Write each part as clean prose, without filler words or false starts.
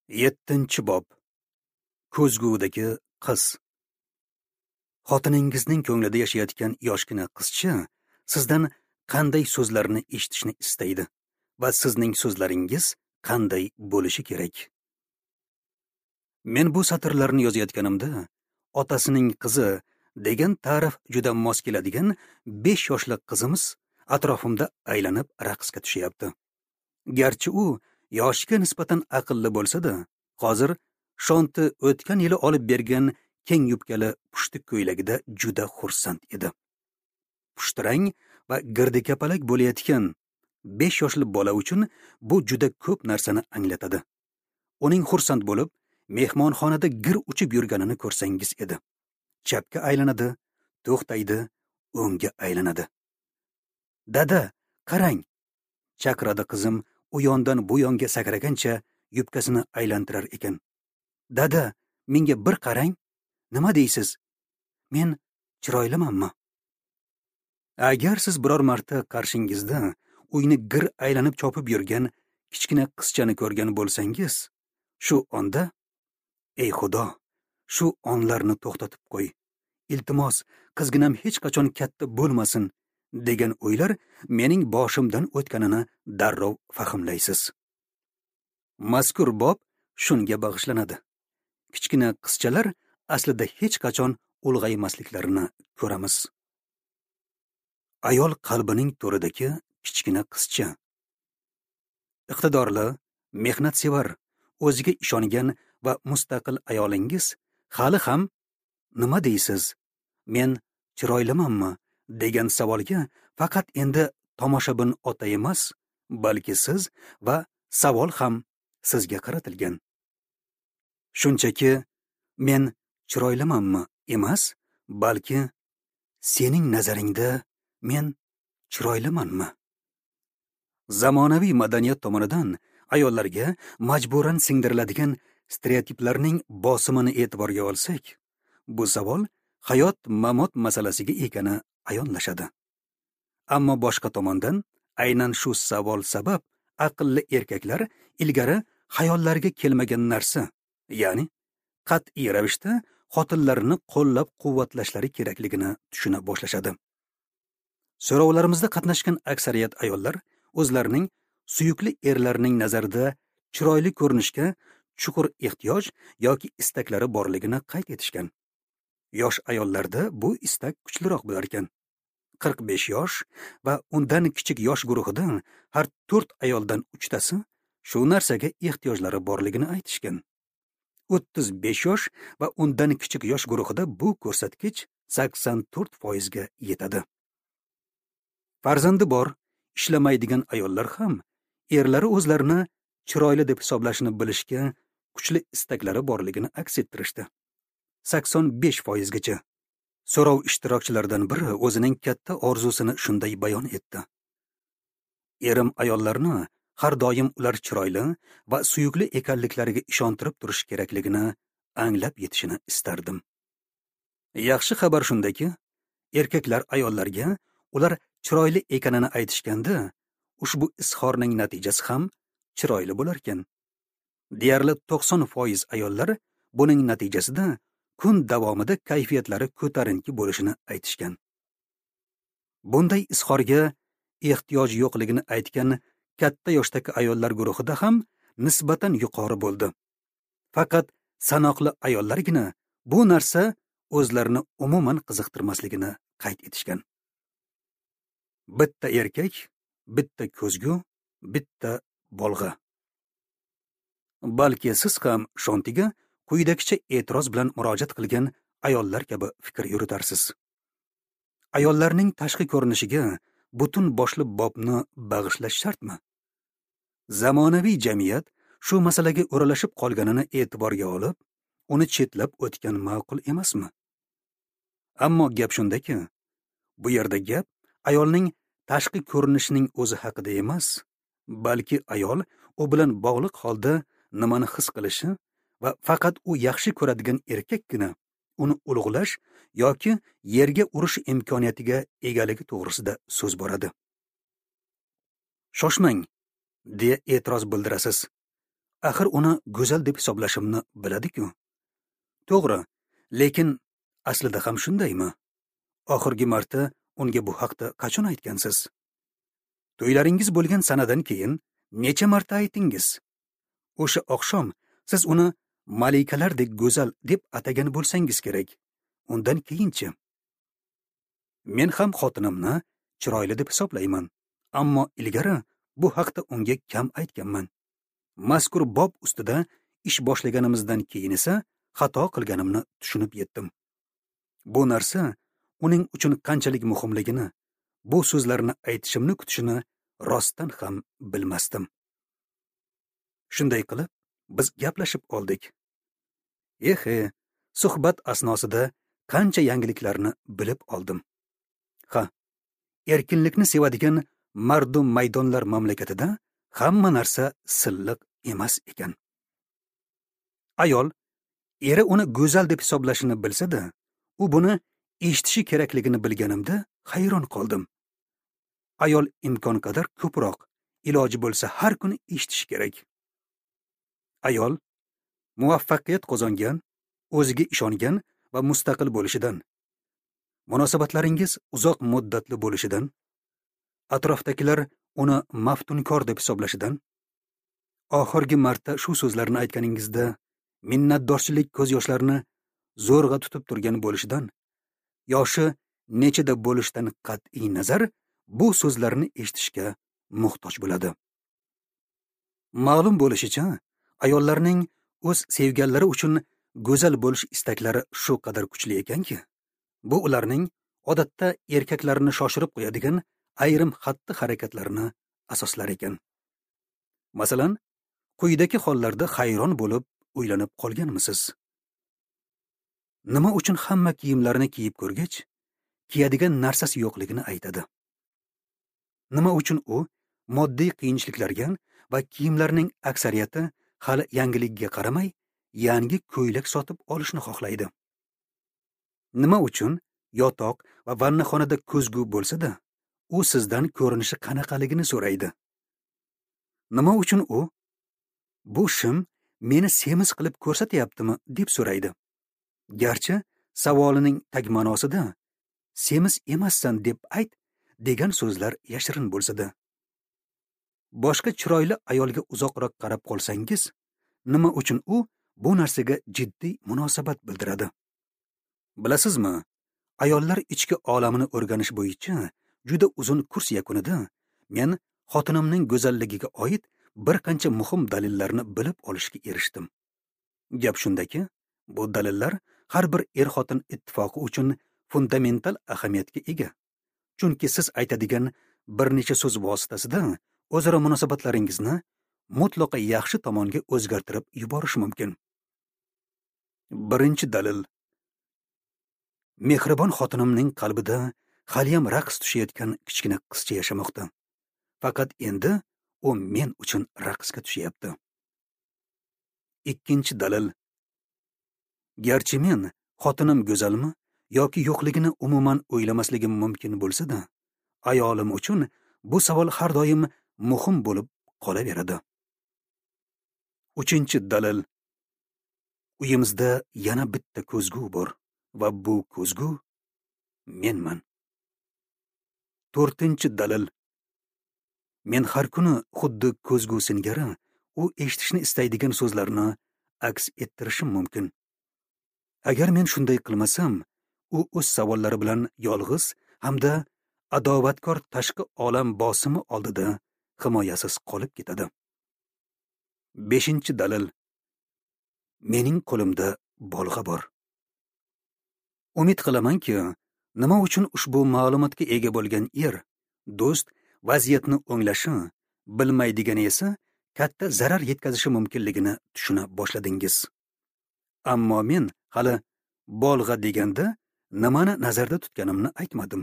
7-bob. Ko'zgudagi qiz. Xotiningizning ko'nglida yashayotgan yoshgina qizcha sizdan qanday so'zlarni eshitishni istaydi va sizning so'zlaringiz qanday bo'lishi kerak? Men bu satrlarni yozayotganimda otasining qizi degan ta'rif juda mos keladigan 5 yoshli qizimiz atrofimda aylanib raqsga tushyapti. Garchi u yoshiga nisbatan aqlli bo'lsa-da, hozir Shonti o'tgan yili olib bergan keng yubkali pushti ko'ylagida juda xursand edi. Pushtirang va girdikapalak bo'layotgan 5 yoshli bola uchun bu juda ko'p narsani anglatadi. Uning xursand bo'lib, mehmonxonada gir uchib yurganini ko'rsangiz edi. Chapga aylanadi, to'xtaydi, o'ngga aylanadi. "Dada, qarang!" chaqiradi qizim, u yondan bu yonga sakragancha yubkasini aylantirar ekan. "Dada, menga bir qarang. Nima deysiz? Men chiroylimanmi?" Agar siz biror marta qarshingizda uyni gir aylanib chopib yurgan kichkina qizchani ko'rgan bo'lsangiz, shu onda "Ey Xudo, shu onlarni to'xtatib qo'y. Iltimos, qizginam hech qachon katta bo'lmasin" degan o'ylar mening boshimdan o'tganini darrov fahmlaysiz. Mazkur bob shunga bag'ishlanadi. Kichkina qizchalar aslida hech qachon ulg'aymasliklarini ko'ramiz. Ayol qalbining to'ridagi kichkina qizcha. Iqtidorli, mehnatsevar, o'ziga ishongan va mustaqil ayolingiz hali ham "Nima deysiz? Men chiroylimanmi?" degan savolga faqat endi tomoshabin ota emas, balki siz va savol ham sizga qaratilgan. Shunchaki "Men chiroylimanmi?" emas, balki "Sening nazaringda men chiroylimanmi?" Zamonaviy madaniyat tomonidan ayollarga majburan singdiriladigan stereotiplarning bosimini e'tiborga olsak, bu savol hayot mamot masalasiga ekani ayonlashadi. Ammo boshqa tomondan aynan shu savol sabab aqlli erkaklar ilgari xayollariga kelmagan narsa, ya'ni qat'iy ravishda xotinlarini qo'llab-quvvatlashlari kerakligini tushuna boshlashadi. So'rovlarimizda qatnashgan aksariyat ayollar o'zlarining suyukli erlarining nazarida chiroyli ko'rinishga chuqur ehtiyoj yoki istaklari borligini qayd etishgan. Yosh ayollarda bu istak kuchliroq bo'lar ekan. 45 yosh va undan kichik yosh guruhida har 4 ayoldan 3 tasi shu narsaga ehtiyojlari borligini aytishgan. 35 yosh va undan kichik yosh guruhida bu ko'rsatkich 84% ga yetadi. Farzandi bor, ishlamaydigan ayollar ham erlari o'zlarini chiroyli deb hisoblashini bilishga kuchli istaklari borligini aks ettirishdi. 85% gacha. So'rov ishtirokchilaridan biri o'zining katta orzusini shunday bayon etdi: "Erim ayollarni har doim ular chiroyli va suyukli ekanliklariga ishontirib turish kerakligini anglab yetishini istardim." Yaxshi xabar shundaki, erkaklar ayollarga ular chiroyli ekanini aytishganda, ushbu izhorning natijasi ham chiroyli bo'lar ekan. Deyarli 90% ayollar buning natijasida kun davomida kayfiyatlari ko'tarinki bo'lishini aytishgan. Bunday izhorga ehtiyoj yo'qligini aytgan katta yoshdagi ayollar guruhida ham nisbatan yuqori bo'ldi. Faqat sanoqli ayollargina bu narsa o'zlarini umuman qiziqtirmasligini qayd etishgan. Bitta erkak, bitta ko'zgu, bitta bolg'a. Balki siz ham Shontiga quyidagicha e'tiroz bilan murojaat qilgan ayollar kabi fikr yuritarsiz. Ayollarning tashqi ko'rinishiga butun boshli bobni bag'ishlash shartmi? Zamonaviy jamiyat shu masalaga o'ralashib qolganini e'tiborga olib, uni chetlab o'tgan ma'qul emasmi? Ammo gap shundaki, bu yerda gap ayolning tashqi ko'rinishining o'zi haqida emas, balki ayol u bilan bog'liq holda nimani his qilishi va faqat u yaxshi ko'radigan erkakkina uni ulug'lash yoki yerga urish imkoniyatiga egaligi to'g'risida so'z boradi. Shoshmang, deya e'tiroz bildirasiz. Axir uni go'zal deb hisoblashimni biladi-ku. To'g'ri, lekin aslida ham shundaymi? Oxirgi marta unga bu haqda qachon aytgansiz? To'ylaringiz bo'lgan sanadan keyin necha marta aytdingiz? O'sha oqshom siz uni malikalardek go'zal deb atagan bo'lsangiz kerak. Undan keyinchi? Men ham xotinimni chiroyli deb hisoblayman, ammo ilgari bu haqda unga kam aytganman. Mazkur bob ustida ish boshlaganimizdan keyin esa xato qilganimni tushunib yetdim. Bu narsa uning uchun qanchalik muhimligini, bu so'zlarni aytishimni kutishini rostdan ham bilmasdim. Shunday qilib, biz gaplashib oldik. Ehe, suhbat asnosida qancha yangiliklarni bilib oldim. Ha, erkinlikni sevadigan mardum maydonlar mamlakatida hamma narsa silliq emas ekan. Ayol eri uni go'zal deb hisoblashini bilsa-da, u buni eshitishi kerakligini bilganimda hayron qoldim. Ayol imkon qadar ko'proq, iloji bo'lsa har kuni eshitishi kerak. Ayol muvaffaqiyat qozongan, o'ziga ishongan va mustaqil bo'lishidan, munosabatlaringiz uzoq muddatli bo'lishidan, atrofdagilar uni maftunkor deb hisoblashidan, oxirgi marta shu so'zlarni aytganingizda minnatdorchilik ko'z yoshlarini zo'rg'a tutib turgan bo'lishidan, yoshi nechada bo'lishidan qat'iy nazar bu so'zlarni eshitishga muhtoj bo'ladi. Ma'lum bo'lishicha, ayollarning o'z sevganlari uchun go'zal bo'lish istaklari shu qadar kuchli ekanki, bu ularning odatda erkaklarni shoshirib qo'yadigan ayrim xatti-harakatlarini asoslar ekan. Masalan, quyidagi hollarda hayron bo'lib o'ylanib qolganmisiz? Nima uchun hamma kiyimlarini kiyib ko'rgach, kiyadigan narsasi yo'qligini aytadi? Nima uchun u moddiy qiyinchiliklarga va kiyimlarning aksariyati hali yangiligiga qaramay, yangi ko'ylak sotib olishni xohlaydi? Nima uchun yotoq va vannaxonada ko'zgu bo'lsa-da, u sizdan ko'rinishi qanaqaligini so'raydi? Nima uchun u bu shim meni semiz qilib ko'rsatyaptimi deb so'raydi? Garchi savolining tag ma'nosida semiz emassan deb ayt degan so'zlar yashirin bo'lsa-da. Boshqa chiroyli ayolga uzoqroq qarab qolsangiz, nima uchun u bu narsaga jiddiy munosabat bildiradi? Bilasizmi, ayollar ichki olamini o'rganish bo'yicha juda uzun kurs yakunida men xotinimning go'zalligiga oid bir qancha muhim dalillarni bilib olishga erishdim. Gap shundaki, bu dalillar har bir er-xotin ittifoqi uchun fundamental ahamiyatga ega. Chunki siz aytadigan bir necha so'z vositasida o'zaro munosabatlaringizni mutlaqo yaxshi tomonga o'zgartirib yuborish mumkin. Birinchi dalil. Mehribon xotinimning qalbida haliyam raqs tushayotgan kichkina qizcha yashamoqda. Faqat endi u men uchun raqsga tushyapti. Ikkinchi dalil. Garchi men xotinim go'zalmi yoki yo'qligini umuman o'ylamasligim mumkin bo'lsa-da, ayolim uchun bu savol har doim muhim bo'lib qolaveradi. Uchinchi dalil. Uyimizda yana bitta ko'zgu bor va bu ko'zgu menman. To'rtinchi dalil. Men har kuni xuddi ko'zgu singari u eshitishni istaydigan so'zlarni aks ettirishim mumkin. Agar men shunday qilmasam, u o'z savollari bilan yolg'iz hamda adovatkor tashqi olam bosimi oldida himoyasiz qolib ketadi. Beshinchi dalil. Mening qo'limda bolg'a bor. Umid qilamanki, nima uchun ushbu ma'lumotga ega bo'lgan er, do'st vaziyatni o'nglashi, bilmaydigani esa katta zarar yetkazishi mumkinligini tushuna boshladingiz. Ammo men hali bolg'a deganda nimani nazarda tutganimni aytmadim.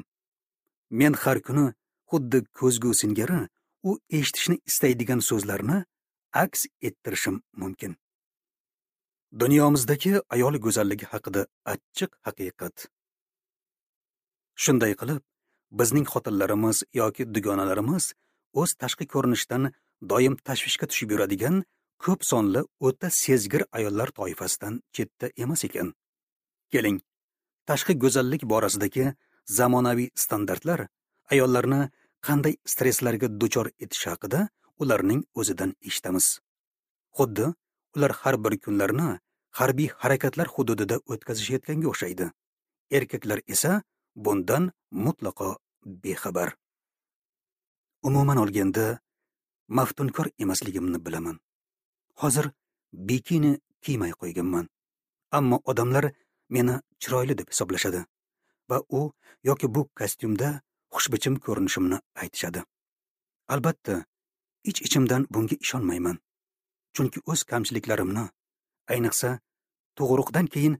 Men har kuni xuddi ko'zgu singari u eshitishni istaydigan so'zlarni aks ettirishim mumkin. Dunyomizdagi ayol go'zalligi haqida achchiq haqiqat. Shunday qilib, bizning xotinlarimiz yoki dugonalarimiz o'z tashqi ko'rinishidan doim tashvishga tushib yuradigan ko'p sonli o'ta sezgir ayollar toifasidan chetda emas ekan. Keling, tashqi go'zallik borasidagi zamonaviy standartlar ayollarni qanday stresslarga duchor etishi haqida ularning o'zidan eshitamiz. Xuddi ular har bir kunlarni harbiy harakatlar hududida o'tkazishayotganga o'xshaydi. Erkaklar esa bundan mutlaqo bexabar. Umuman olganda, maftunkor emasligimni bilaman. Hozir bikini kiymay qo'yganman. Ammo odamlar meni chiroyli deb hisoblashadi va u yoki bu kostyumda xushbichim ko'rinishimni aytishadi. Albatta, ich-ichimdan bunga ishonmayman. Chunki o'z kamchiliklarimni, ayniqsa tug'ruqdan keyin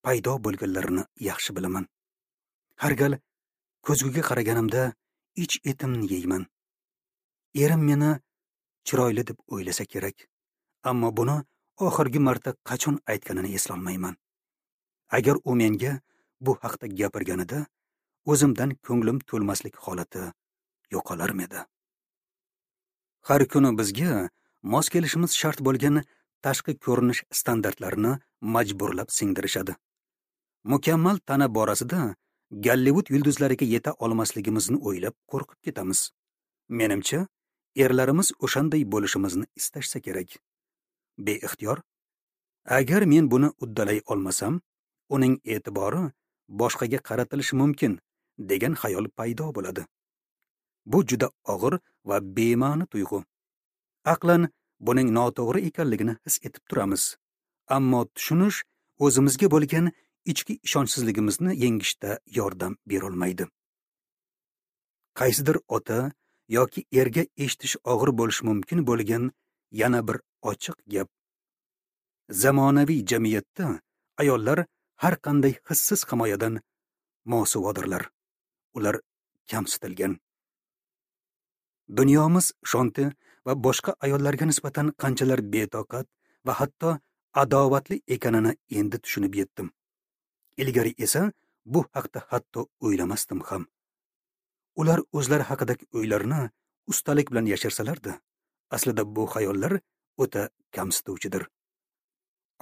paydo bo'lganlarini yaxshi bilaman. Har gal ko'zguga qaraganimda ich etimni yeyman. Erim meni chiroyli deb o'ylasa kerak, ammo buni oxirgi marta qachon aytganini eslolmayman. Agar u menga bu haqda gapirganida, o'zimdan ko'nglim to'lmaslik holati yo'qolarmidi? Har kuni bizga mos kelishimiz shart bo'lgan tashqi ko'rinish standartlarini majburlab singdirishadi. Mukammal tana borasida Gollivud yulduzlariga yeta olmasligimizni o'ylab qo'rqib ketamiz. Menimcha, erlarimiz o'shanday bo'lishimizni istashsa kerak. Beixtiyor, agar men buni uddalay olmasam, uning e'tibori boshqaga qaratilishi mumkin degan xayol paydo bo'ladi. Bu juda og'ir va bema'ni tuyg'u. Aqlan buning noto'g'ri ekanligini his etib turamiz. Ammo tushunish o'zimizga bo'lgan ichki ishonchsizligimizni yengishda yordam berolmaydi. Qaysidir ota yoki erga eshitish og'ir bo'lishi mumkin bo'lgan yana bir ochiq gap. Zamonaviy jamiyatda ayollar har qanday hissiz himoyadan mosuvodirlar. Ular kamsitilgan. Dunyomiz Shonti va boshqa ayollarga nisbatan qanchalar betoqat va hatto adovatli ekanini endi tushunib yetdim. Ilgari esa bu haqda hatto o'ylamasdim ham. Ular o'zlari haqidagi o'ylarini ustalik bilan yashirsalardi, aslida bu xayollar o'ta kamsituvchidir.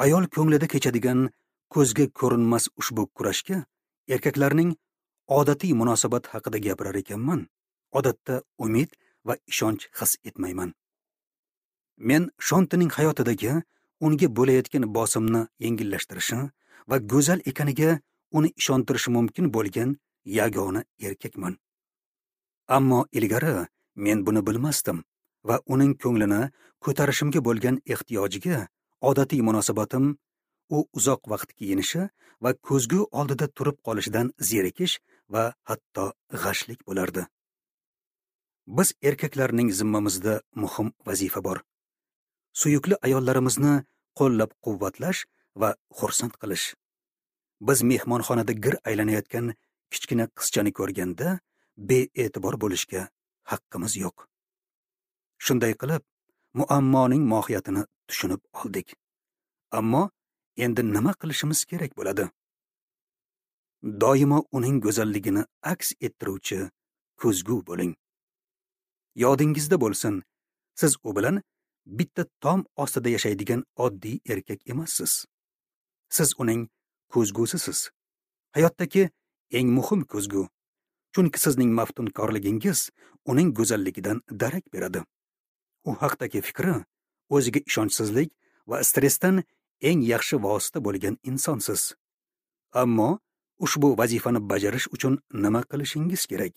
Ayol ko'nglida kechadigan ko'zga ko'rinmas ushbu kurashga erkaklarning odatiy munosabat haqida gapirar ekanman, odatda umid va ishonch his etmayman. Men Shontining hayotidagi unga bo'layotgan bosimni yengillashtirishi va go'zal ekaniga uni ishontirishi mumkin bo'lgan yagona erkakman. Ammo ilgari men buni bilmasdim va uning ko'nglini ko'tarishimga bo'lgan ehtiyojiga odatiy munosabatim u uzoq vaqt kiyinishi va ko'zgu oldida turib qolishidan zerikish va hatto g'ashlik bo'lardi. Biz erkaklarning zimmamizda muhim vazifa bor. Suyukli ayollarimizni qo'llab-quvvatlash va xursand qilish. Biz mehmonxonada gir aylanayotgan kichkina qizchani ko'rganda bee'tibor bo'lishga haqqimiz yo'q. Shunday qilib, muammoning mohiyatini tushunib oldik. Ammo endi nima qilishimiz kerak bo'ladi? Doimo uning go'zalligini aks ettiruvchi ko'zgu bo'ling. Yodingizda bo'lsin, siz u bilan bitta tom ostida yashaydigan oddiy erkak emassiz. Siz uning ko'zgusisiz. Hayotdagi eng muhim ko'zgu. Chunki sizning maftunkorligingiz uning go'zalligidan darak beradi. U haqdagi fikri o'ziga ishonchsizlik va stressdan eng yaxshi vosita bo'lgan insonsiz. Ammo ushbu vazifani bajarish uchun nima qilishingiz kerak?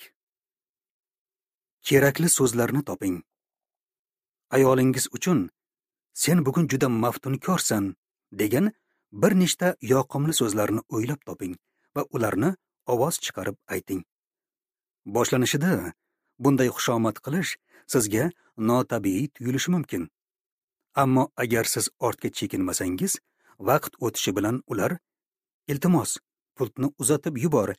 Kerakli so'zlarni toping. Ayolingiz uchun "Sen bugun juda maftunkorsan" degan bir nechta yoqimli so'zlarni o'ylab toping va ularni ovoz chiqarib ayting. Boshlanishida bunday xushomad qilish sizga notabiiy tuyulishi mumkin. Ammo agar siz ortga chekinmasangiz, vaqt o'tishi bilan ular "Iltimos, pultni uzatib yubor"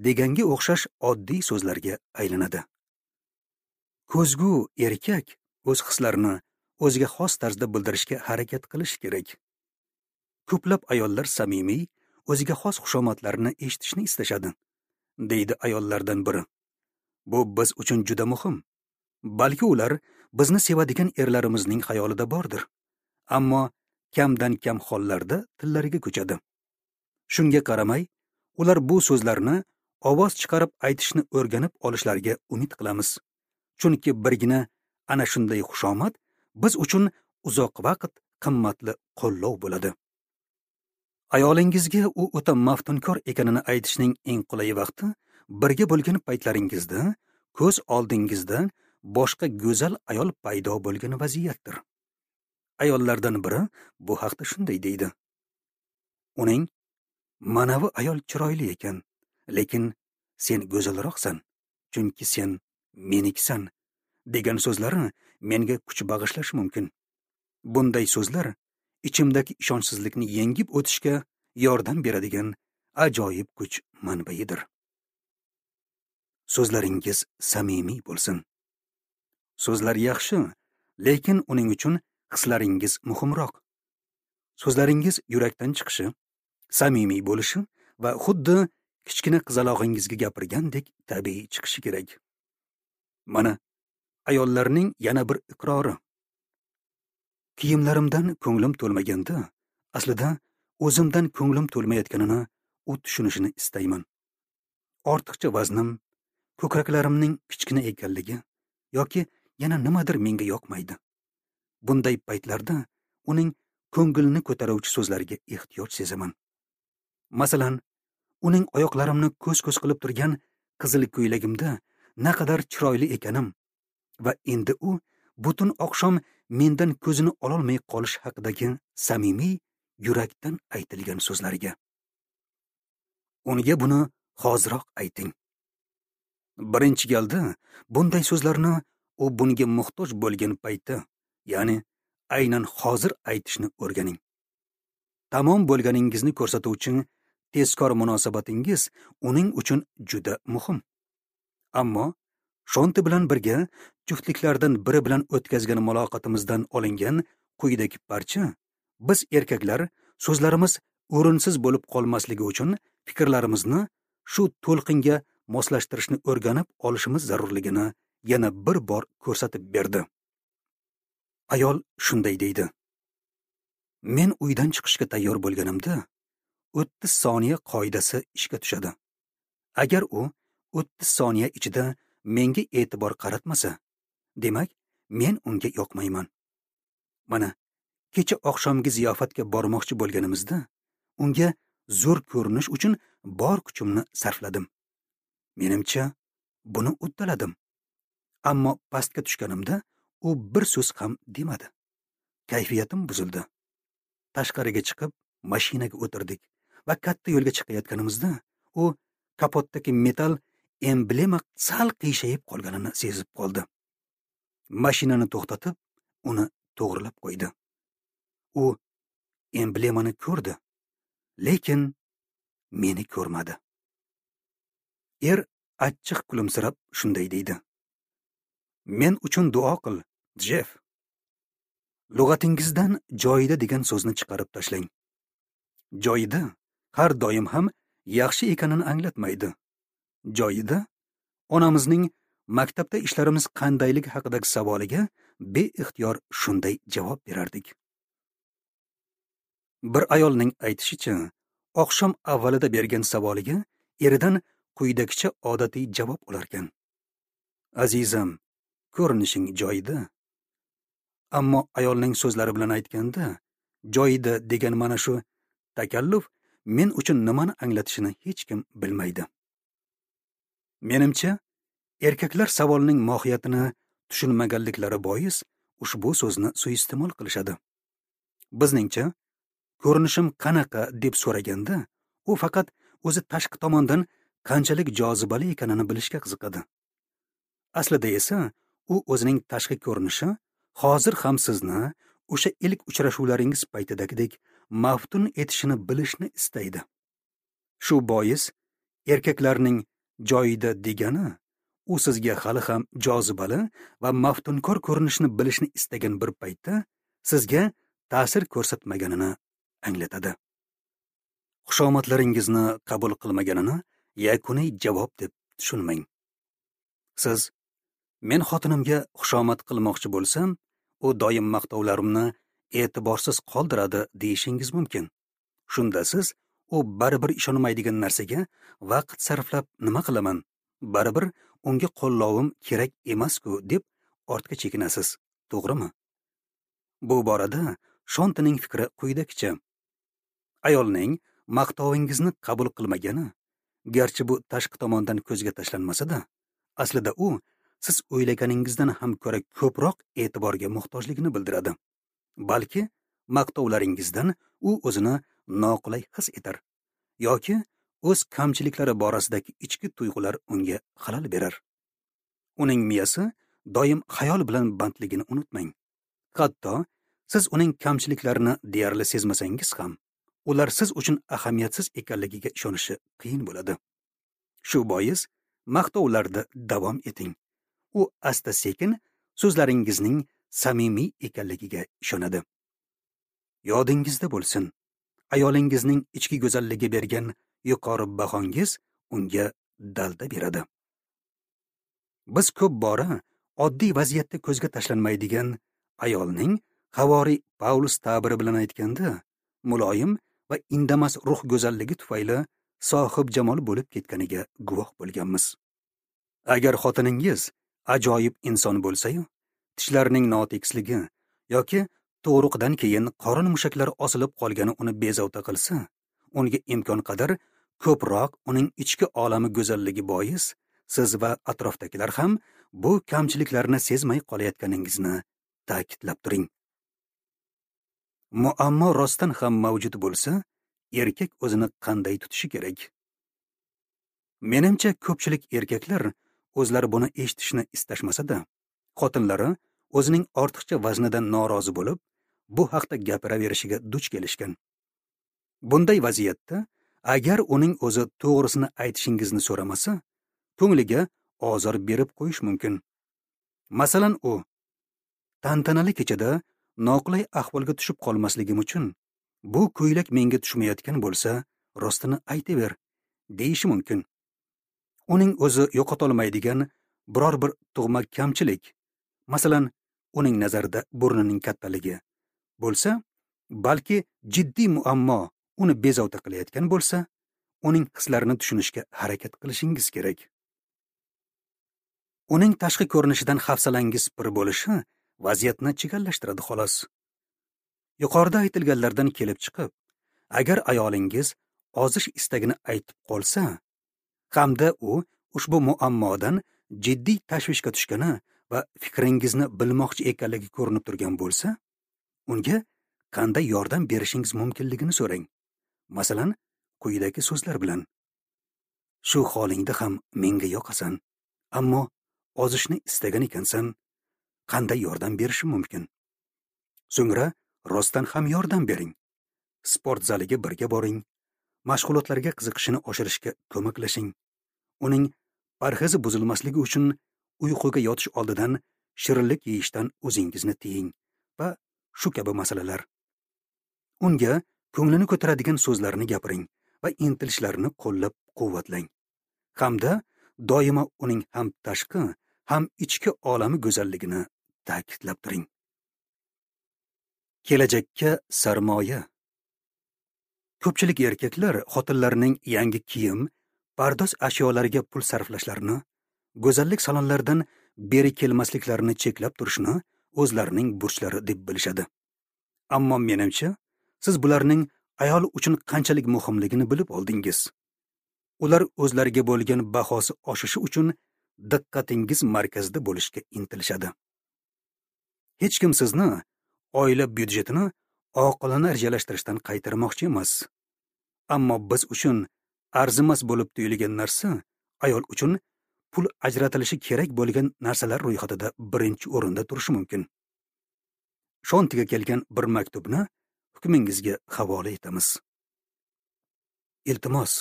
deganga o'xshash oddiy so'zlarga aylanadi. Ko'zgu erkak o'z hislarini o'ziga xos tarzda bildirishga harakat qilish kerak. Ko'plab ayollar samimiy, o'ziga xos xushomadlarni eshitishni istashadi, deydi ayollardan biri. Bu biz uchun juda muhim. Balki ular bizni sevadigan erlarimizning xayolida bordir. Ammo kamdan kam hollarda tillariga ko'chadi. Shunga qaramay, ular bu so'zlarni ovoz chiqarib aytishni o'rganib olishlariga umid qilamiz. Chunki birgina ana shunday xushomad biz uchun uzoq vaqt qimmatli qo'llov bo'ladi. Ayolingizga u o'ta maftunkor ekanini aytishning eng qulay vaqti birga bo'lgan paytlaringizda ko'z oldingizda boshqa go'zal ayol paydo bo'lgan vaziyatdir. Ayollardan biri bu haqda shunday deydi: Uning manavi ayol chiroyli ekan, lekin sen go'zalroqsan, chunki sen menikisan, degan so'zlari menga kuch bag'ishlashi mumkin. Bunday so'zlar ichimdagi ishonchsizlikni yengib o'tishga yordam beradigan ajoyib kuch manbaidir. So'zlaringiz samimiy bo'lsin. So'zlar yaxshi, lekin uning uchun hislaringiz muhimroq. So'zlaringiz yurakdan chiqishi, samimiy bo'lishi va xuddi kichkina qizalog'ingizga gapirgandek tabiiy chiqishi kerak. Mana ayollarning yana bir iqrori. Kiyimlarimdan ko'nglim to'lmaganda, aslida o'zimdan ko'nglim to'lmayotganini u tushunishini istayman. Ortiqcha vaznim, ko'kraklarimning kichkina ekanligi yoki yana nimadir menga yoqmaydi. Bunday paytlarda uning ko'ngilni ko'taruvchi so'zlariga ehtiyoj sezaman. Masalan, uning oyoqlarimni ko'z-ko'z qilib turgan qizil ko'ylagimda naqadar chiroyli ekanim va endi u butun oqshom mendan ko'zini ololmay qolish haqidagi samimiy yurakdan aytilgan so'zlariga. Unga buni hoziroq ayting. Birinchi galda bunday so'zlarni u bunga muhtoj bo'lgan paytda, ya'ni aynan hozir aytishni o'rganing. Tamom bo'lganingizni ko'rsatuvchi tezkor munosabatingiz uning uchun juda muhim. Ammo Shonti bilan birga juftliklardan biri bilan o'tkazgan muloqotimizdan olingan quyidagi parcha biz erkaklar so'zlarimiz o'rinsiz bo'lib qolmasligi uchun fikrlarimizni shu to'lqinga moslashtirishni o'rganib olishimiz zarurligini yana bir bor ko'rsatib berdi. Ayol shunday deydi: Men uydan chiqishga tayyor bo'lganimda 30 soniya qoidasi ishga tushadi. Agar u 30 soniya ichida menga e'tibor qaratmasa, demak, men unga yoqmayman. Mana kecha oqshomgi ziyofatga bormoqchi bo'lganimizda unga zo'r ko'rinish uchun bor kuchimni sarfladim. Menimcha, buni uddaladim. Ammo pastga tushganimda u bir so'z ham demadi. Kayfiyatim buzildi. Tashqariga chiqib, mashinaga o'tirdik va katta yo'lga chiqayotganimizda u kapotdagi metal emblema sal qiyshayib qolganini sezib qoldi. Mashinani to'xtatib, uni to'g'rilab qo'ydi. U emblemani ko'rdi, lekin meni ko'rmadi. Er achchiq kulimsirab shunday deydi: Men uchun duo qil, Jeff. Lug'atingizdan joyida degan so'zni chiqarib tashlang. Joyida har doim ham yaxshi ekanini anglatmaydi. Joyida onamizning maktabda ishlarimiz qandayligi haqidagi savoliga beixtiyor shunday javob berardik. Bir ayolning aytishicha, oqshom avvalida bergan savoliga eridan quyidagicha odatiy javob olarkan: Azizam, ko'rinishing joyida. Ammo ayolning so'zlari bilan aytganda, joyida degan mana shu takalluf men uchun nimani anglatishini hech kim bilmaydi. Menimcha, erkaklar savolning mohiyatini tushunmaganliklari bois ushbu so'zni suiiste'mol qilishadi. Bizningcha, ko'rinishim qanaqa deb so'raganda, u faqat o'zi tashqi tomondan qanchalik jozibali ekanini bilishga qiziqadi. Aslida esa u o'zining tashqi ko'rinishi hozir ham sizni o'sha ilk uchrashuvlaringiz paytidagidek maftun etishini bilishni istaydi. Shu bois erkaklarning joyida degani u sizga hali ham jozibali va maftunkor ko'rinishni bilishni istagan bir paytda sizga ta'sir ko'rsatmaganini anglatadi. Xushomadlaringizni qabul qilmaganini yakuniy javob deb tushunmang. Siz men xotinimga xushomad qilmoqchi bo'lsam, u doim maqtovlarimni e'tiborsiz qoldiradi deyishingiz mumkin. Shunda siz u baribir ishonmaydigan narsaga vaqt sarflab nima qilaman, baribir unga qo'llovim kerak emas-ku deb ortga chekinasiz, to'g'rimi? Bu borada Shontining fikri quyidagicha. Ayolning maqtovingizni qabul qilmagani, garchi bu tashqi tomondan ko'zga tashlanmasa-da, aslida u siz o'ylaganingizdan ham ko'ra ko'proq e'tiborga muhtojligini bildiradi. Balki maqtovlaringizdan u o'zini noqulay his etar yoki o'z kamchiliklari borasidagi ichki tuyg'ular unga xalal berar. Uning miyasi doim xayol bilan bandligini unutmang. Hatto siz uning kamchiliklarini deyarli sezmasangiz ham, ular siz uchun ahamiyatsiz ekanligiga ishonishi qiyin bo'ladi. Shu bois maqtovlarda davom eting. U asta-sekin so'zlaringizning samimiy ekanligiga ishonadi. Yodingizda bo'lsin, ayolingizning ichki go'zalligi bergan yuqori bahongiz unga dalda beradi. Biz ko'p bora oddiy vaziyatda ko'zga tashlanmaydigan ayolning Havori Paulus ta'biri bilan aytganda, muloyim va indamas ruh go'zalligi tufayli sohib jamol bo'lib ketganiga guvoh bo'lganmiz. Agar xotiningiz ajoyib inson bo'lsa-yu, tishlarining notekisligi yoki tug'ruqdan keyin qorin mushaklari osilib qolgani uni bezovta qilsa, unga imkon qadar ko'proq uning ichki olami go'zalligi bois siz va atrofdagilar ham bu kamchiliklarni sezmay qolayotganingizni ta'kidlab turing. Muammo rostdan ham mavjud bo'lsa, erkak o'zini qanday tutishi kerak? Menimcha, ko'pchilik erkaklar o'zlari buni eshitishni istashmasa-da, xotinlari o'zining ortiqcha vaznidan norozi bo'lib, bu haqda gapiraverishiga duch kelishgan. Bunday vaziyatda agar uning o'zi to'g'risini aytishingizni so'ramasa, ko'ngliga ozor berib qo'yish mumkin. Masalan, u tantanali kechada noqulay ahvolga tushib qolmasligim uchun bu ko'ylak menga tushmayotgan bo'lsa, rostini aytaver deyishi mumkin. Uning o'zi yo'qotolmaydigan biror bir tug'ma kamchilik, masalan, uning nazarida burnining kattaligi bo'lsa, balki jiddiy muammo uni bezovta qilayotgan bo'lsa, uning hislarini tushunishga harakat qilishingiz kerak. Uning tashqi ko'rinishidan hafsalangiz pir bo'lishi vaziyatni chigallashtiradi xolos. Yuqorida aytilganlardan kelib chiqib, agar ayolingiz ozish istagini aytib qolsa, hamda u ushbu muammodan jiddiy tashvishga tushgani va fikringizni bilmoqchi ekanligi ko'rinib turgan bo'lsa, unga qanday yordam berishingiz mumkinligini so'rang. Masalan, quyidagi so'zlar bilan: Shu holingda ham menga yoqasan, ammo ozishni istagan ekansan, qanday yordam berishim mumkin? So'ngra rostdan ham yordam bering. Sport zaliga birga boring, mashg'ulotlarga qiziqishini oshirishga ko'maklashing. Uning parhezi buzilmasligi uchun uyquga yotish oldidan shirinlik yeyishdan o'zingizni tiying va shu kabi masalalar. Unga ko'nglini ko'taradigan so'zlarni gapiring va intilishlarini qo'llab-quvvatlang. Hamda doimo uning ham tashqi, ham ichki olami go'zalligini ta'kidlab turing. Kelajakka sarmoya. Ko'pchilik erkaklar xotinlarining yangi kiyim, pardoz ashyolariga pul sarflashlarini, go'zallik salonlaridan beri kelmasliklarini cheklab turishni o'zlarining burchlari deb bilishadi. Ammo menimcha, siz bularning ayol uchun qanchalik muhimligini bilib oldingiz. Ular o'zlariga bo'lgan bahosi oshishi uchun diqqatingiz markazida bo'lishga intilishadi. Hech kim sizni oila byudjetini oqilona rejalashtirishdan qaytarmoqchi emas. Ammo biz uchun arzimas bo'lib tuyulgan narsa ayol uchun pul ajratilishi kerak bo'lgan narsalar ro'yxatida birinchi o'rinda turishi mumkin. Shontiga kelgan bir maktubni hukmingizga havola etamiz. Iltimos,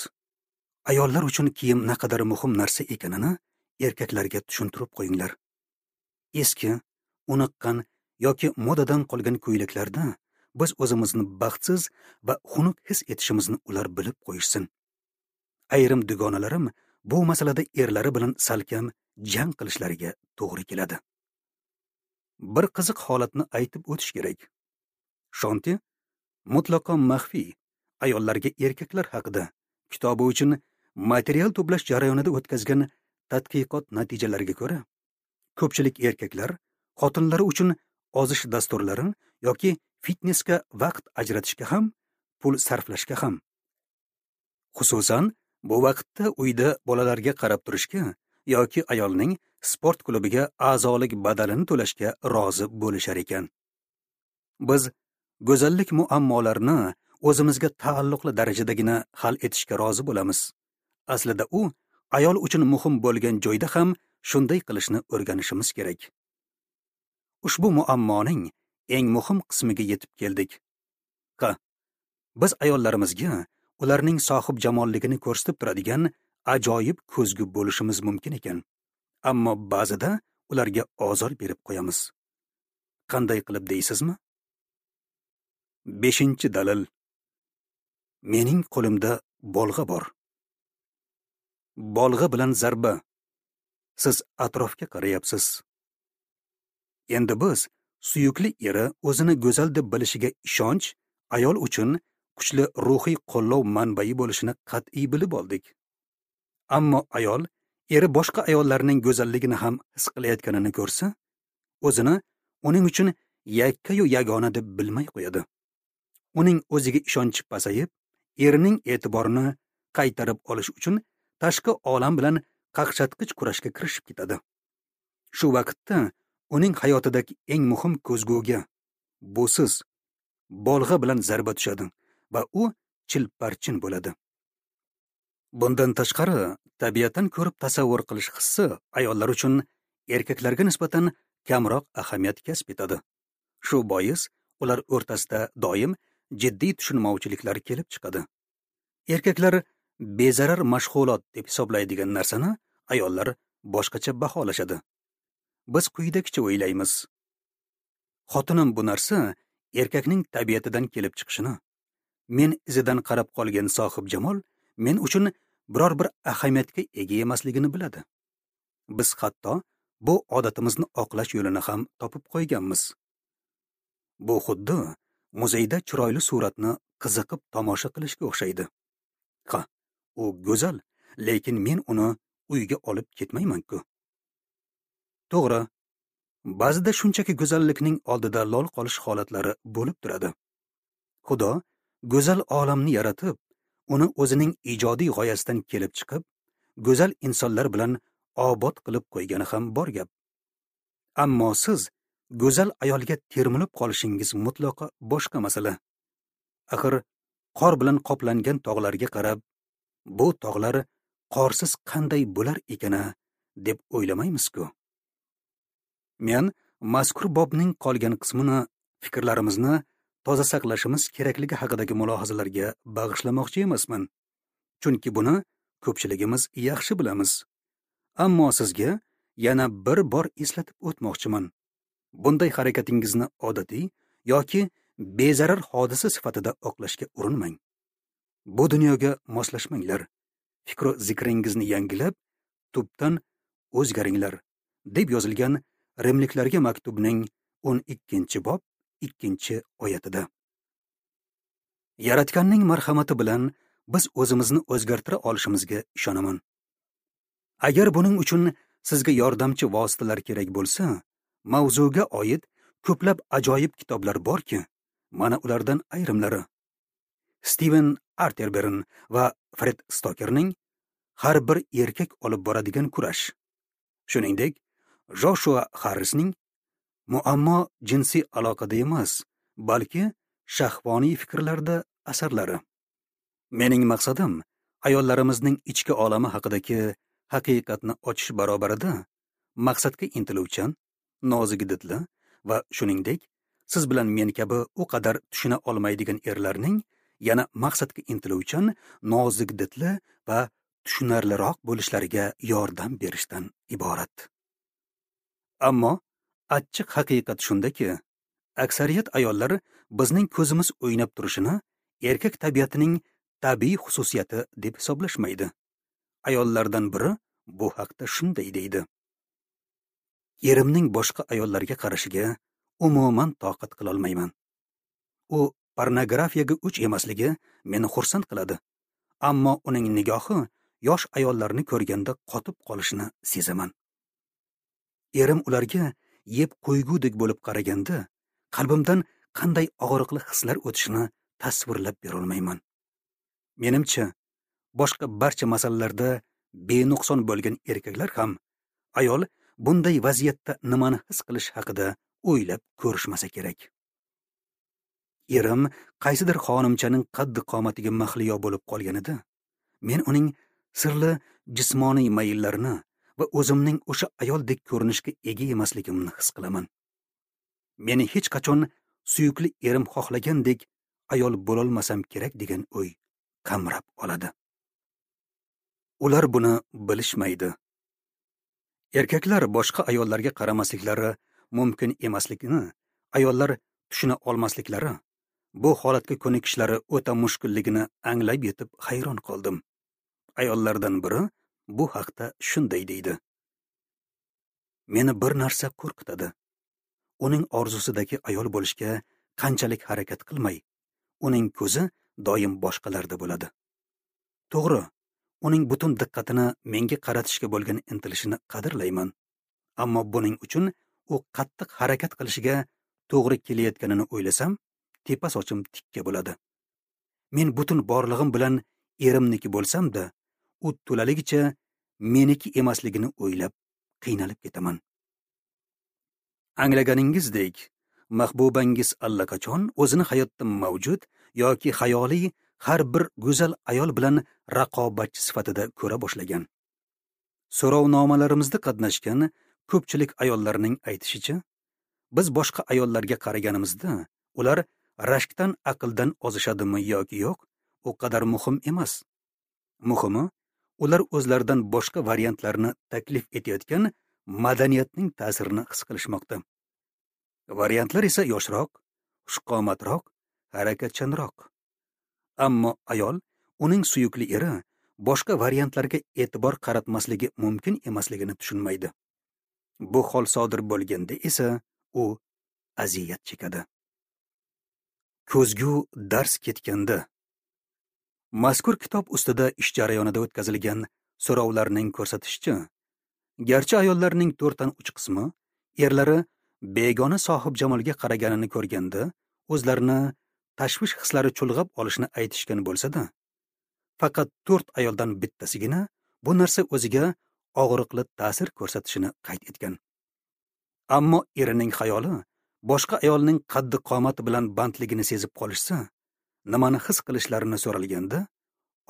ayollar uchun kiyim naqadar muhim narsa ekanini erkaklarga tushuntirib qo'yinglar. Eski, uniqqan yoki modadan qolgan ko'ylaklarda biz o'zimizni baxtsiz va xunuk his etishimizni ular bilib qo'yishsin. Ayrim dugonalarim bu masalada erlari bilan salkam jang qilishlariga to'g'ri keladi. Bir qiziq holatni aytib o'tish kerak. Shonti mutlaqo maxfiy ayollarga erkaklar haqida kitobi uchun material to'plash jarayonida o'tkazgan tadqiqot natijalariga ko'ra, ko'pchilik erkaklar xotinlari uchun ozish dasturlari yoki fitnesga vaqt ajratishga ham, pul sarflashga ham, xususan bu vaqtda uyda bolalarga qarab turishga yoki ayolning sport klubiga a'zolik badalini to'lashga rozi bo'lishar ekan. Biz go'zallik muammolarini o'zimizga taalluqli darajadagina hal etishga rozi bo'lamiz. Aslida u ayol uchun muhim bo'lgan joyda ham shunday qilishni o'rganishimiz kerak. Ushbu muammoning eng muhim qismiga yetib keldik. Ha, biz ayollarimizga ularning sohib jamolligini ko'rsatib turadigan ajoyib ko'zgu bo'lishimiz mumkin ekan. Ammo ba'zida ularga ozor berib qo'yamiz. Qanday qilib deysizmi? 5-dalil. Mening qo'limda bolg'a bor. Bolg'a bilan zarba. Siz atrofga qarayapsiz. Endi biz suyukli eri o'zini go'zal deb bilishiga ishonch ayol uchun kuchli ruhiy qo'llov manbai bo'lishini qat'iy bilib oldik. Ammo ayol eri boshqa ayollarning go'zalligini ham his qilayotganini ko'rsa, o'zini uning uchun yakkayu yagona deb bilmay qo'yadi. Uning o'ziga ishonchi pasayib, erining e'tiborini qaytarib olish uchun tashqi olam bilan qaqshatqich kurashga kirishib ketadi. Shu vaqtda uning hayotidagi eng muhim ko'zguga, bu siz, bolg'a bilan zarba tushadi va u chilparchin bo'ladi. Bundan tashqari, tabiatdan ko'rib tasavvur qilish hissi ayollar uchun erkaklarga nisbatan kamroq ahamiyat kasb etadi. Shu bois ular o'rtasida doim jiddiy tushunmovchiliklar kelib chiqadi. Erkaklar bezarar mashg'ulot deb hisoblaydigan narsani ayollar boshqacha baholashadi. Biz quyidagicha o'ylaymiz: xotinim bu narsa erkakning tabiatidan kelib chiqishini, men izidan qarab qolgan sohib jamol men uchun biror bir ahamiyatga ega emasligini biladi. Biz hatto bu odatimizni oqlash yo'lini ham topib qo'yganmiz. Bu xuddi muzeyda chiroyli suratni qiziqib tomosha qilishga o'xshaydi. Ha, u go'zal, lekin men uni uyga olib ketmayman-ku. To'g'ri, ba'zida shunchaki go'zallikning oldida lol qolish holatlari bo'lib turadi. Xudo go'zal olamni yaratib, uni o'zining ijodiy g'oyasidan kelib chiqib, go'zal insonlar bilan obod qilib qo'ygani ham bor gap. Ammo siz go'zal ayolga termilib qolishingiz mutlaqo boshqa masala. Axir qor bilan qoplangan tog'larga qarab, bu tog'lar qorsiz qanday bo'lar ekana deb o'ylamaymiz-ku. Men mazkur bobning qolgan qismini fikrlarimizni toza saqlashimiz kerakligi haqidagi mulohazalarga bag'ishlamoqchi emasman. Chunki buni ko'pchiligimiz yaxshi bilamiz. Ammo sizga yana bir bor eslatib o'tmoqchiman. Bunday harakatingizni odatiy yoki bezarar hodisa sifatida oqlashga urinmang. Bu dunyoga moslashmanglar. Fikru zikringizni yangilab, tubdan o'zgaringlar, deb yozilgan Rimliklarga maktubning 12-bob 2-oyatida. Yaratganning marhamati bilan biz o'zimizni o'zgartira olishimizga ishonaman. Agar buning uchun sizga yordamchi vositalar kerak bo'lsa, mavzuga oid ko'plab ajoyib kitoblar borki, mana ulardan ayrimlari: Steven Arterburn va Fred Stokerning Har bir erkak olib boradigan kurash. Shuningdek, Joshua Harrisning Muammo jinsiy aloqada emas, balki shahvoniy fikrlarda asarlari. Mening maqsadim ayollarimizning ichki olami haqidagi haqiqatni ochish barobarida maqsadga intiluvchan, nozik didli va shuningdek siz bilan men kabi u qadar tushuna olmaydigan erlarning yana maqsadga intiluvchan, nozik didli va tushunarliroq bo'lishlariga yordam berishdan iborat. Ammo achchiq haqiqat shundaki, aksariyat ayollar bizning ko'zimiz o'ynab turishini erkak tabiatining tabiiy xususiyati deb hisoblashmaydi. Ayollardan biri bu haqda shunday deydi: Erimning boshqa ayollarga qarashiga umuman toqat qila olmayman. U pornografiyaga o'ch emasligi meni xursand qiladi. Ammo uning nigohi yosh ayollarni ko'rganda qotib qolishini sezaman. Erim ularga yeb qo'ygudek bo'lib qaraganda, qalbimdan qanday og'riqli hislar o'tishini tasvirlab bera olmayman. Menimcha, boshqa barcha masalalarda benuqson bo'lgan erkaklar ham ayol bunday vaziyatda nimani his qilish haqida o'ylab ko'rishmasa kerak. Erim qaysidir xonimchaning qaddi qomatiga mahliyo bo'lib qolganida, men uning sirli jismoniy mayllarini va o'zimning o'sha ayoldek ko'rinishga ega emasligimni his qilaman. Meni hech qachon suyukli erim xohlagandek ayol bo'lolmasam kerak degan o'y qamrab oladi. Ular buni bilishmaydi. Erkaklar boshqa ayollarga qaramasliklari mumkin emasligini ayollar tushuna olmasliklari, bu holatga ko'nikishlari o'ta mushkulligini anglab yetib hayron qoldim. Ayollardan biri bu haqda shunday deydi: Meni bir narsa qo'rqitadi. Uning orzusidagi ayol bo'lishga qanchalik harakat qilmay, uning ko'zi doim boshqalarda bo'ladi. To'g'ri, uning butun diqqatini menga qaratishga bo'lgan intilishini qadrlayman. Ammo buning uchun u qattiq harakat qilishiga to'g'ri kelayotganini o'ylasam, tepa sochim tikka bo'ladi. Men butun borlig'im bilan erimniki bo'lsam-da, u to'laligicha meniki emasligini o'ylab qiynalib ketaman. Anglaganingizdek, mahbubangiz allaqachon o'zini hayotda mavjud yoki xayoliy har bir go'zal ayol bilan raqobatchi sifatida ko'ra boshlagan. So'rovnomalarimizda qatnashgan ko'pchilik ayollarning aytishicha, biz boshqa ayollarga qaraganimizda ular rashkdan aqldan ozishadimi yoki yo'q, u qadar muhim emas. Muhimi, ular o'zlaridan boshqa variantlarni taklif etayotgan madaniyatning ta'sirini his qilishmoqda. Variantlar esa yoshroq, xushqomatroq, harakatchanroq. Ammo ayol uning suyukli eri boshqa variantlarga e'tibor qaratmasligi mumkin emasligini tushunmaydi. Bu hol sodir bo'lganda esa u aziyat chekadi. Ko'zgu dars ketganda. Mazkur kitob ustida ish jarayonida o'tkazilgan so'rovlarning ko'rsatishicha, garchi ayollarning 4dan 3 qismi erlari begona sohibjamolga qaraganini ko'rganda o'zlarini tashvish hislari chulg'ab olishni aytishgan bo'lsa-da, faqat 4 ayoldan bittasigina bu narsa o'ziga og'riqli ta'sir ko'rsatishini qayd etgan. Ammo erining xayoli boshqa ayolning qaddi qomati bilan bandligini sezib qolishsa, nimani his qilishlarini so'ralganda,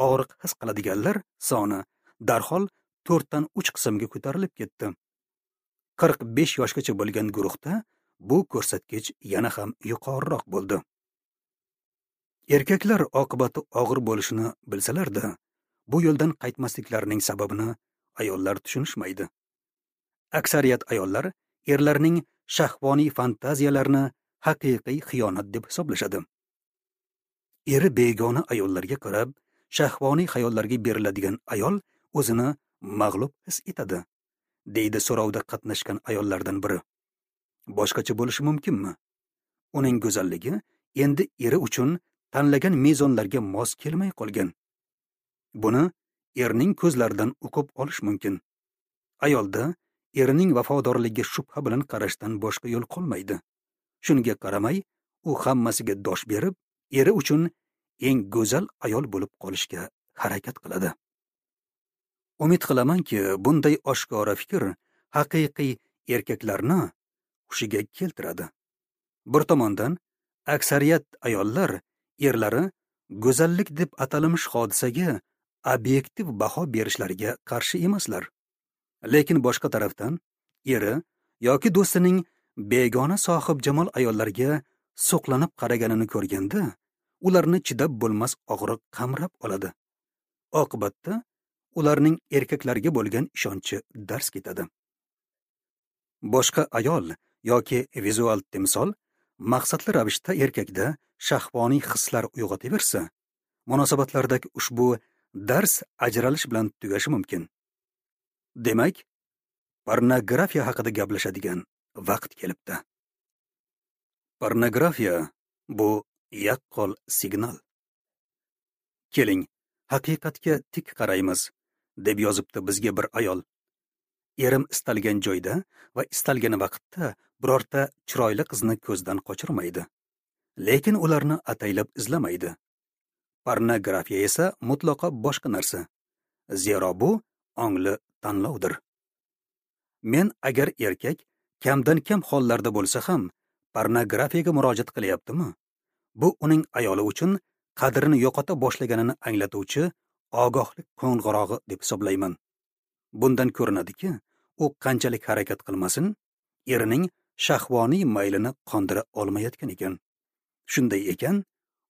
og'riq his qiladiganlar soni darhol 4dan 3 qismga ko'tarilib ketdi. 45 yoshgacha bo'lgan guruhda bu ko'rsatkich yana ham yuqoriroq bo'ldi. Erkaklar oqibati og'ir bo'lishini bilsalar-da, bu yo'ldan qaytmasliklarining sababini ayollar tushunishmaydi. Aksariyat ayollar erlarning shahvoniy fantaziyalarini haqiqiy xiyonat deb hisoblashadi. Eri begona ayollarga qarab, shahvoniy xayollarga beriladigan ayol o'zini mag'lub his etadi, deydi so'rovda qatnashgan ayollardan biri. Boshqacha bo'lishi mumkinmi? Uning go'zalligi endi eri uchun tanlagan mezonlarga mos kelmay qolgan. Buni erning ko'zlaridan o'qib olish mumkin. Ayolda erining vafodorligiga shubha bilan qarashdan boshqa yo'l qolmaydi. Shunga qaramay, u hammasiga dosh berib, eri uchun eng go'zal ayol bo'lib qolishga harakat qiladi. Umid qilamanki, bunday oshkora fikr haqiqiy erkaklarni hushiga keltiradi. Bir tomondan, aksariyat ayollar erlari go'zallik deb atalmish hodisaga obyektiv baho berishlariga qarshi emaslar. Lekin boshqa tarafdan, eri yoki do'stining begona sohibjamol ayollarga suqlanib qaraganini ko'rganda, ularni chidab bo'lmas og'riq qamrab oladi. Oqibatda ularning erkaklarga bo'lgan ishonchi dars ketadi. Boshqa ayol yoki vizual timsol maqsadli ravishda erkakda shahvoniy hislar uyg'otaversa, munosabatlardagi ushbu dars ajralish bilan tugashi mumkin. Demak, pornografiya haqida gaplashadigan vaqt kelibdi. Pornografiya bu Yaqqol signal. Keling, haqiqatga tik qaraymiz, deb yozibdi bizga bir ayol. Erim istalgan joyda va istalgan vaqtda birorta chiroyli qizni ko'zdan qochirmaydi. Lekin ularni ataylab izlamaydi. Pornografiya esa mutlaqo boshqa narsa. Zero bu ongli tanlovdir. Men agar erkak kamdan kam hollarda bo'lsa ham pornografiyaga murojaat qilyaptimi, bu uning ayoli uchun qadrini yo'qota boshlaganini anglatuvchi ogohlik qo'ng'irog'i deb hisoblayman. Bundan ko'rinadiki, u qanchalik harakat qilmasin, erining shahvoniy maylini qondira olmayotgan ekan. Shunday ekan,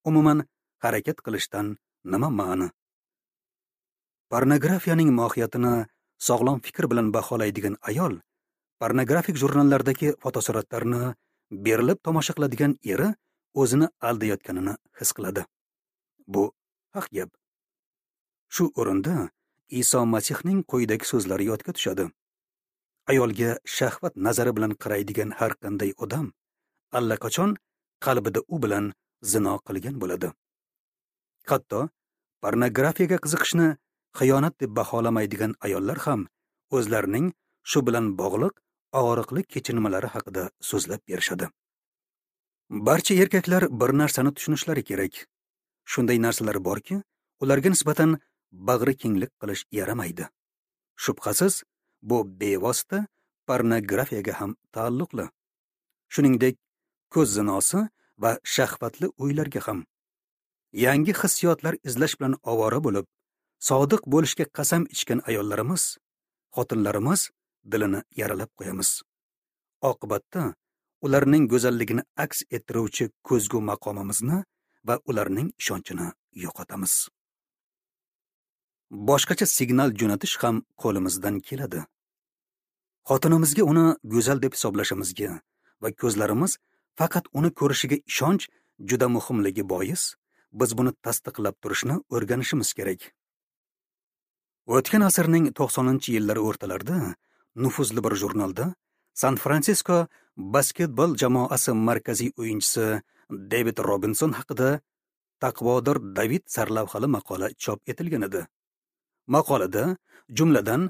umuman harakat qilishdan nima ma'ni? Pornografiyaning mohiyatini sog'lom fikr bilan baholaydigan ayol pornografik jurnallardagi fotosuratlarni berilib tomosha qiladigan eri o'zini aldayotganini his qiladi. Bu haq gap. Shu o'rinda Iso Masihning quyidagi so'zlari yodga tushadi. Ayolga shahvat nazari bilan qaraydigan har qanday odam allaqachon qalbida u bilan zino qilgan bo'ladi. Hatto pornografiyaga qiziqishni xiyonat deb baholamaydigan ayollar ham o'zlarining shu bilan bog'liq og'riqli kechinmalari haqida so'zlab berishadi. Barcha erkaklar bir narsani tushunishlari kerak. Shunday narsalar borki, ularga nisbatan bag'ri kenglik qilish yaramaydi. Shubhasiz, bu bevosita pornografiyaga ham taalluqli. Shuningdek, ko'z zinosi va shahvatli o'ylarga ham. Yangi hissiyotlar izlash bilan ovora bo'lib, sodiq bo'lishga qasam ichgan ayollarimiz, xotinlarimiz dilini yaralab qo'yamiz. Oqibatda ularning go'zalligini aks ettiruvchi ko'zgu maqomimizni va ularning ishonchini yo'qotamiz. Boshqacha signal jo'natish ham qo'limizdan keladi. Xotinimizga uni go'zal deb hisoblashimizga va ko'zlarimiz faqat uni ko'rishiga ishonch juda muhimligi bois, biz buni tasdiqlab turishni o'rganishimiz kerak. O'tgan asrning 90-yillari o'rtalarida nufuzli bir jurnalda San Fransisko basketbol jamoasi markaziy o'yinchisi David Robinson haqida Taqvodor David sarlavhali maqola chop etilgan edi. Maqolada jumladan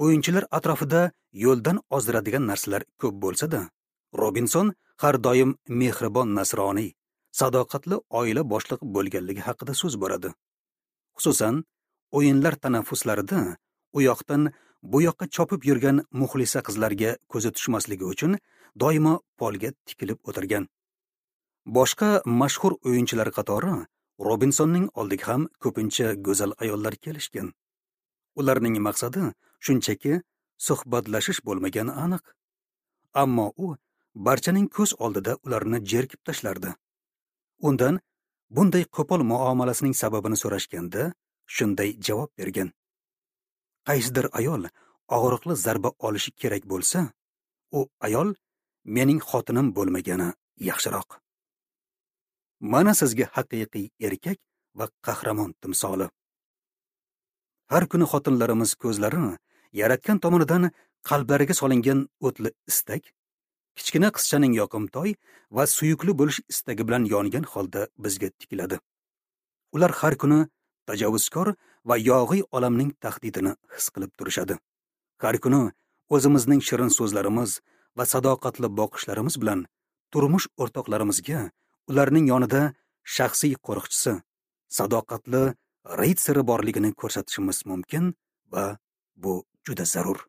o'yinchilar atrofida yo'ldan ozdiradigan narsalar ko'p bo'lsa-da, Robinson har doim mehribon nasroniy, sadoqatli oila boshlig'i bo'lganligi haqida so'z boradi. Xususan, o'yinlar tanaffuslarida u yoqdan bu yoqqa chopib yurgan muxlisa qizlarga ko'zi tushmasligi uchun doimo polga tikilib o'tirgan. Boshqa mashhur o'yinchilar qatori Robinsonning oldiga ham ko'pincha go'zal ayollar kelishgan. Ularning maqsadi shunchaki suhbatlashish bo'lmagani aniq. Ammo u barchaning ko'z oldida ularni jerkib tashlardi. Undan bunday qo'pol muomalasining sababini so'rashganda shunday javob bergan: qaysidir ayol og'riqli zarba olishi kerak bo'lsa, u ayol mening xotinim bo'lmagani yaxshiroq. Mana sizga haqiqiy erkak va qahramon timsoli. Har kuni xotinlarimiz ko'zlari yaratgan tomonidan qalblariga solingan o'tli istak, kichkina qizchaning yoqimtoy va suyukli bo'lish istagi bilan yongan holda bizga tikiladi. Ular har kuni tajovuzkor va yog'iy olamning tahdidini his qilib turishadi. Har kuni o'zimizning shirin so'zlarimiz va sadoqatli boqishlarimiz bilan turmush o'rtoqlarimizga ularning yonida shaxsiy qo'riqchisi, sadoqatli ritsari borligini ko'rsatishimiz mumkin va bu juda zarur.